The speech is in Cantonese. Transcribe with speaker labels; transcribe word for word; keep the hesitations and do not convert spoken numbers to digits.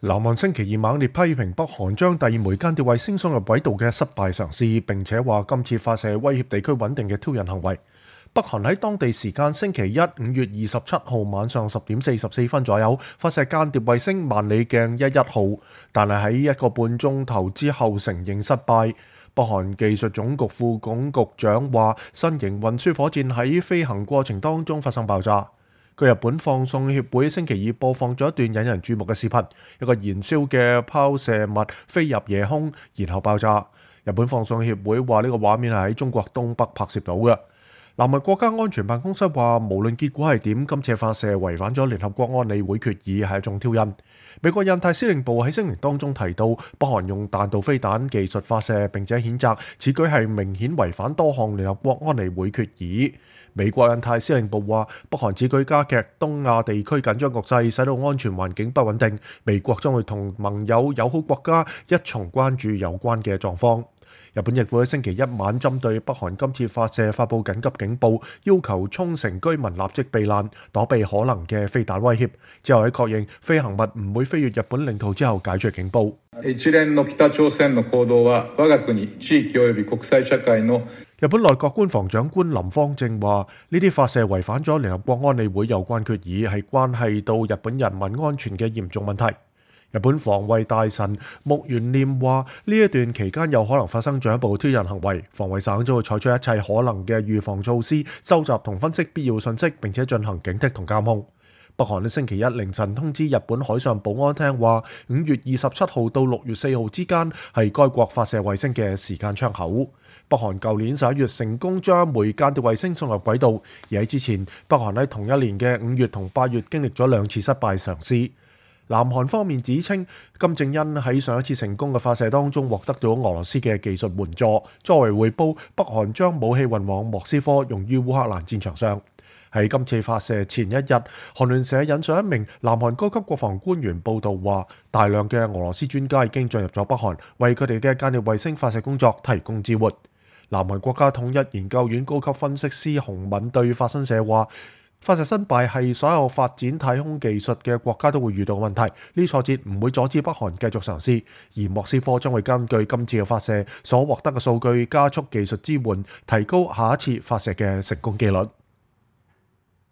Speaker 1: 南韓星期二猛烈批評北韓將第二枚間諜衛星送入軌道嘅失敗嘗試，並且話今次發射威脅地區穩定嘅挑釁行為。北韓喺當地時間星期一五月二十七號晚上十點四十四分左右發射間諜衛星萬里鏡一一號，但係喺一個半鐘頭之後承認失敗。北韓技術總局副總局長話，新型運輸火箭喺飛行過程當中發生爆炸。據日本放送協會星期二播放咗一段引人注目嘅視頻，一個燃燒嘅拋射物飛入夜空，然後爆炸。日本放送協會話呢個畫面係喺中國東北拍攝到嘅。南韓國家安全辦公室話，無論結果係點，今次發射違反咗聯合國安理會決議，係一種挑釁。美國印太司令部喺聲明當中提到，北韓用彈道飛彈技術發射，並且譴責此舉係明顯違反多項聯合國安理會決議。美國印太司令部話，北韓此舉加劇東亞地區緊張局勢，使到安全環境不穩定。美國將會同盟友友好國家一同關注有關嘅狀況。日本政府喺星期一晚針對北韓今次發射發布緊急警報，要求沖繩居民立即避難，躲避可能嘅飛彈威脅。之後喺確認飛行物唔會飛越日本領土之後解除警報。
Speaker 2: 一連の北朝鮮の行動は我が國、地域及び國際社會の
Speaker 1: 日本內閣官房長官林芳正話：呢啲發射違反咗聯合國安理會有關決議，係關係到日本人民安全嘅嚴重問題。日本防衛大臣木原念話：呢一段期間有可能發生進一步挑釁行為，防衛省將會採取一切可能嘅預防措施，收集同分析必要信息，並且進行警惕同監控。北韓喺星期一凌晨通知日本海上保安廳話，五月二十七號到六月四號之間係該國發射衛星嘅時間窗口。北韓舊年十一月成功將一枚間諜衛星送入軌道，而喺之前，北韓喺同一年嘅五月同八月經歷咗兩次失敗嘗試。南韓方面指稱，金正恩喺上一次成功嘅發射當中獲得咗俄羅斯嘅技術援助，作為回報，北韓將武器運往莫斯科，用於烏克蘭戰場上。喺今次發射前一日，韓聯社引述一名南韓高級國防官員報道話，大量嘅俄羅斯專家已經進入咗北韓，為佢哋嘅間諜衛星發射工作提供支援。南韓國家統一研究院高級分析師洪敏對法新社話，發射失敗係所有發展太空技術嘅國家都會遇到嘅問題，呢挫折唔會阻止北韓繼續嘗試，而莫斯科將會根據今次嘅發射所獲得嘅數據加速技術支援，提高下一次發射嘅成功機率。